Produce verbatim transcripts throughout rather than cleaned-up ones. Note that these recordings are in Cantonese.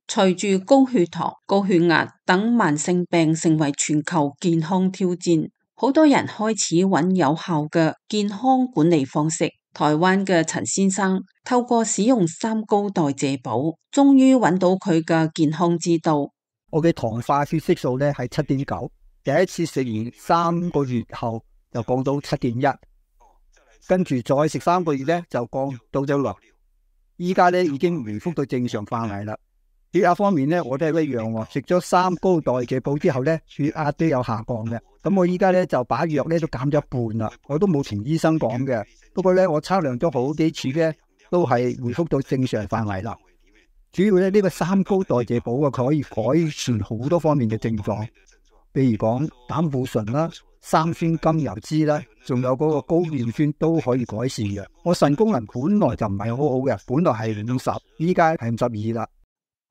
隨住高血糖、高血壓等慢性病成為全球健康挑戰，好多人開始揾有效嘅健康管理方式。台灣嘅陳先生透過使用三高代謝寶，終於揾到佢嘅健康之道。我嘅糖化血色素咧係七點九，第一次食完三個月後就降到七點一，跟住再食三個月咧就降到咗六，依家咧已經回復到正常範圍啦。血壓方面咧，我都係一樣喎。食咗三高代謝寶之後咧，血壓都有下降嘅。咁我依家咧就把藥咧都減咗一半啦。我都冇同醫生講嘅。不過咧，我測量咗好幾次咧，都係回復到正常範圍啦。主要咧呢個三高代謝寶啊，佢可以改善好多方面嘅症狀，譬如講膽固醇啦、三酸甘油酯啦，仲有嗰個高尿酸都可以改善嘅。我腎功能本來就唔係好好嘅，本來係五十，依家係五十二啦。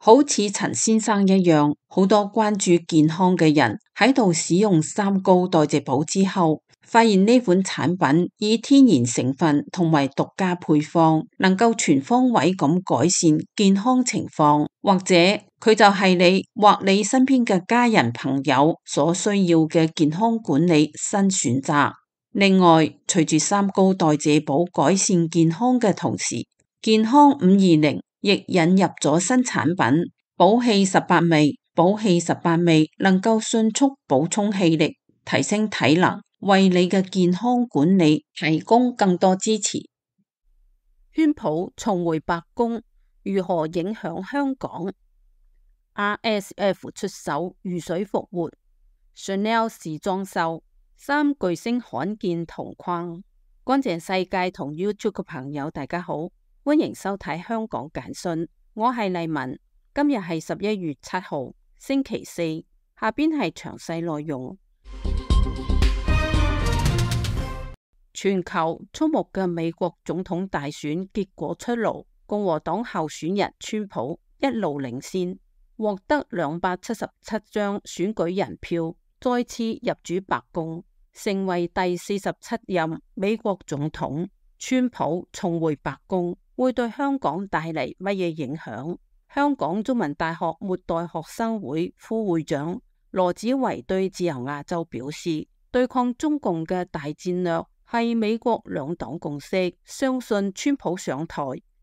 好似陳先生一樣，好多關注健康嘅人喺度使用三高代謝寶之後，發現呢款產品以天然成分同埋獨家配方，能夠全方位咁改善健康情況，或者佢就係你或你身邊嘅家人朋友所需要嘅健康管理新選擇。另外，隨住三高代謝寶改善健康嘅同時，健康五二零亦引入咗新產品寶氣十八味。寶氣十八味能夠迅速補充氣力，提升體能，為你嘅健康管理提供更多支持。川普重回白宮，如何影響香港？ R S F 出手如水復活， Chanel 時裝秀，三巨星罕見同框。乾淨世界同 YouTube 嘅朋友大家好，歡迎收睇香港簡訊，我係麗文。今日係十一月七號，星期四。下邊係詳細內容。全球矚目嘅美國總統大選結果出爐，共和黨候選人川普一路領先，獲得兩百七十七張選舉人票，再次入主白宮，成為第四十七任美國總統。川普重回白宮會對香港帶嚟乜嘢影響？香港中文大學末代學生會副會長羅子維對自由亞洲表示，對抗中共嘅大戰略係美國兩黨共識，相信川普上台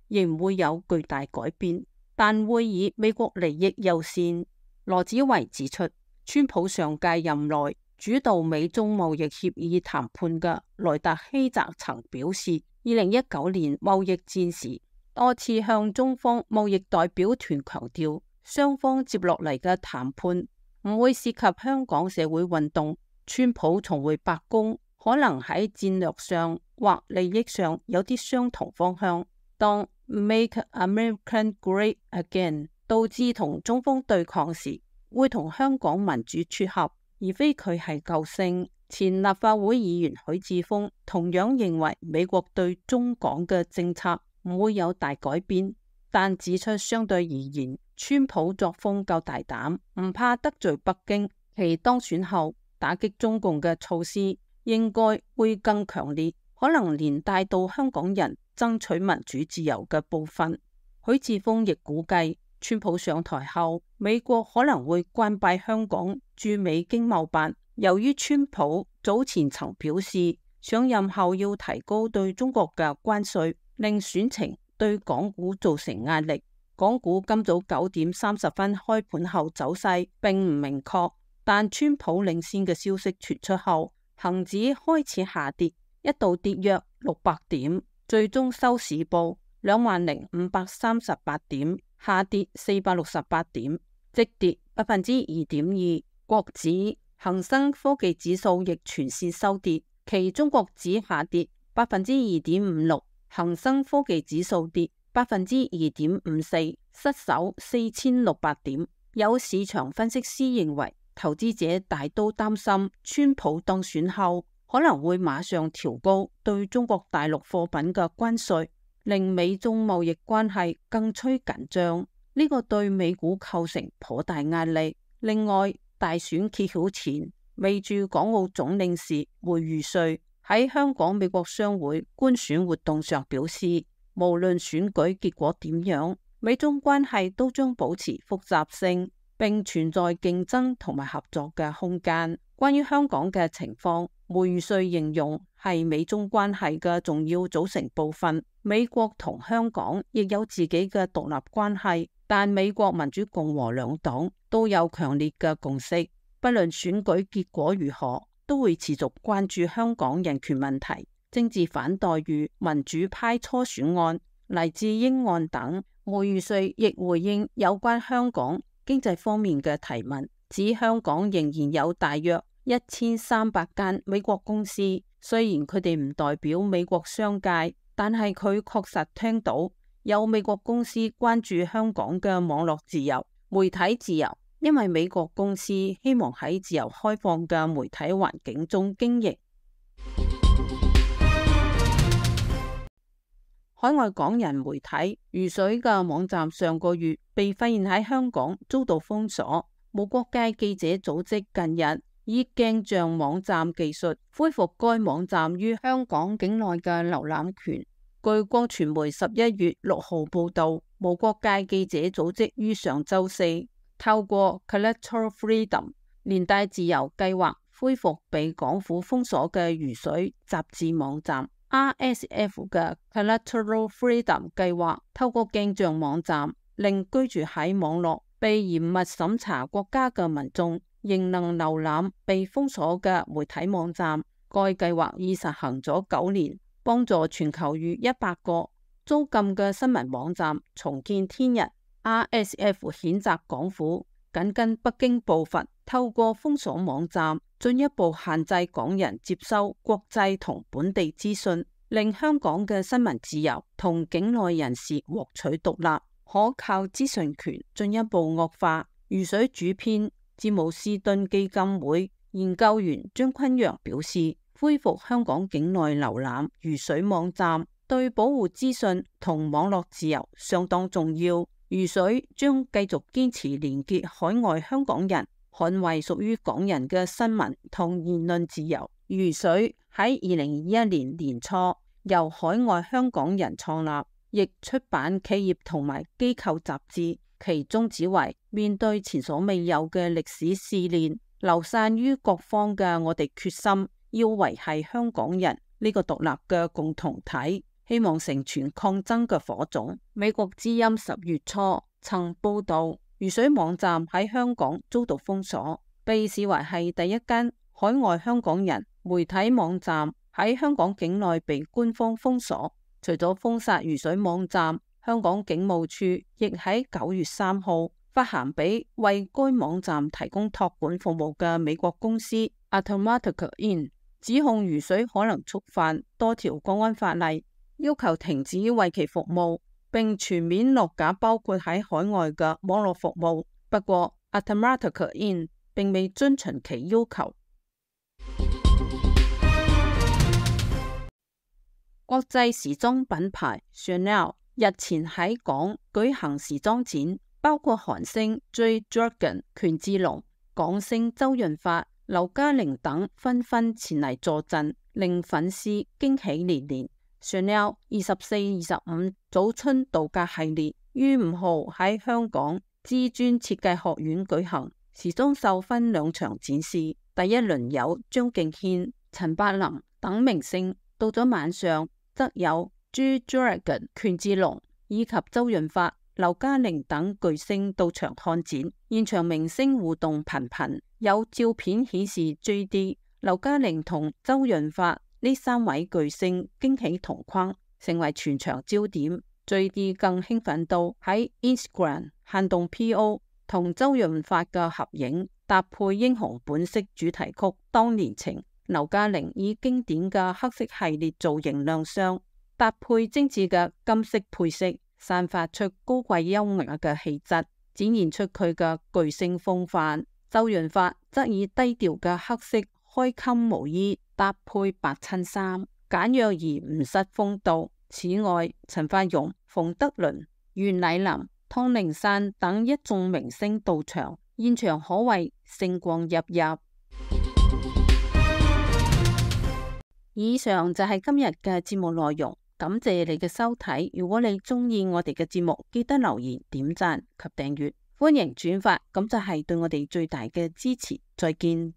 仍會有巨大改變，但會以美國利益優先。羅子維指出，川普上屆任內主導美中貿易協議談判嘅萊特希澤曾表示，二零一九年貿易戰時多次向中方貿易代表團強調，雙方接落嚟嘅談判唔會涉及香港社會運動。川普重回白宮，可能喺戰略上或利益上有啲相同方向。當 Make America Great Again 導致同中方對抗時，會同香港民主撮合，而非佢係救星。前立法會議員許智峰同樣認為美國對中港嘅政策唔會有大改變，但指出相對而言，川普作風夠大膽，唔怕得罪北京，其當選後打擊中共嘅措施應該會更強烈，可能連帶到香港人爭取民主自由嘅部分。許智峰亦估計，川普上台後，美國可能會關閉香港駐美經貿辦。由於川普早前曾表示，上任後要提高對中國嘅關稅，令選情對港股造成壓力。港股今早九點三十分開盤後走勢並唔明確，但川普領先嘅消息傳出後，恒指開始下跌，一度跌約六百點，最終收市報兩萬零五百三十八點，下跌四百六十八點，即跌百分之二點二。國指恒生科技指數亦全線收跌，其中國指下跌百分之二點五六，恒生科技指數跌百分之二點五四，失守四千六百點。有市場分析師認為，投資者大都擔心川普當選後可能會馬上調高對中國大陸貨品嘅關稅，令美中貿易關係更趨緊張。呢個對美股構成頗大壓力。另外，大選揭曉前，未駐港澳總領事梅如瑞喺香港美國商會觀選活動上表示，無論選舉結果點樣，美中關係都將保持複雜性，並存在競爭同埋合作嘅空間。關於香港嘅情況，梅如瑞形容係美中關係嘅重要組成部分。美國同香港亦有自己嘅獨立關係，但美國民主共和兩黨都有強烈嘅共識，不論選舉結果如何，都會持續關注香港人權問題、政治反待遇、民主派初選案、黎智英案等。梅如瑞亦回應有關香港經濟方面嘅提問，指香港仍然有大約一千三百間美國公司，雖然佢哋唔代表美國商界，但係佢確實聽到有美國公司關注香港嘅網絡自由、媒體自由，因為美國公司希望喺自由開放嘅媒體環境中經營。海外港人媒體如水嘅網站上個月被發現喺香港遭到封鎖，無國界記者組織近日以鏡像網站技術恢復該網站於香港境內嘅瀏覽權。據光傳媒十一月六號報道，無國界記者組織於上周四透過 Collateral Freedom 連帶自由計劃恢復被港府封鎖嘅如水雜誌網站。R S F 嘅 Collateral Freedom 計劃透過鏡像網站，令居住喺網絡被嚴密審查國家嘅民眾仍能瀏覽被封鎖嘅媒體網站。該計劃已實行咗九年，幫助全球逾一百個遭禁嘅新聞網站重見天日。R S F 譴責港府緊跟北京步伐，透過封鎖網站進一步限制港人接收國際同本地資訊，令香港嘅新聞自由同境內人士獲取獨立可靠資訊權進一步惡化。如水主編詹姆斯敦基金會研究員張坤陽表示，恢復香港境內瀏覽如水網站對保護資訊同網絡自由相當重要。如水將繼續堅持連結海外香港人，捍衛屬於港人嘅新聞同言論自由。如水喺二零二一年年初由海外香港人創立，亦出版企業同埋機構雜誌，其宗旨為面對前所未有嘅歷史試煉，流散於各方嘅我哋決心要維繫香港人呢個獨立嘅共同體，希望成全抗爭嘅火種。美國之音十月初曾報道，如水網站喺香港遭到封鎖，被視為係第一間海外香港人媒體網站喺香港境內被官方封鎖。除咗封殺如水網站，香港警務處亦喺九月三號發函俾為該網站提供託管服務嘅美國公司 Automatic In， 指控如水可能觸犯多條國安法例，要求停止為其服務，並全面落架包括喺海外嘅網絡服務。不過 Automatic In 並未遵循其要求。國際時裝品牌 Chanel 日前喺港舉行時裝展，包括韓星 Jade Dragon 權志龍、港星周潤發、劉嘉玲等紛紛前嚟助陣，令粉絲驚喜連連。Chanel 二十四、二十五早春度假系列於五號喺香港知專設計學院舉行，時裝秀分兩場展示。第一輪有張敬軒、陳柏霖等明星，到咗晚上則有 Jade Dragon 權志龍以及周潤發、劉嘉玲等巨星到場看展，現場明星互動頻頻，有照片顯示 J D、劉嘉玲同周潤發呢三位巨星驚喜同框，成為全場焦點。J D 更興奮到喺 Instagram 限動 P O 同周潤發嘅合影，搭配英雄本色主題曲《當年情》。劉嘉玲以經典嘅黑色系列造型亮相，搭配精緻嘅金色配飾，散發出高貴優雅嘅氣質，展現出佢嘅巨星風範。周潤發則以低調嘅黑色開襟毛衣搭配白襯衫，簡約而唔失風度。此外，陳法蓉、馮德倫、袁澧林、湯令山等一眾明星到場，現場可謂星光熠熠。以上就係今日嘅節目內容，感謝你嘅收睇。如果你鍾意我哋嘅節目，記得留言、點讚及訂閱，歡迎轉發，咁就係對我哋最大嘅支持。再見。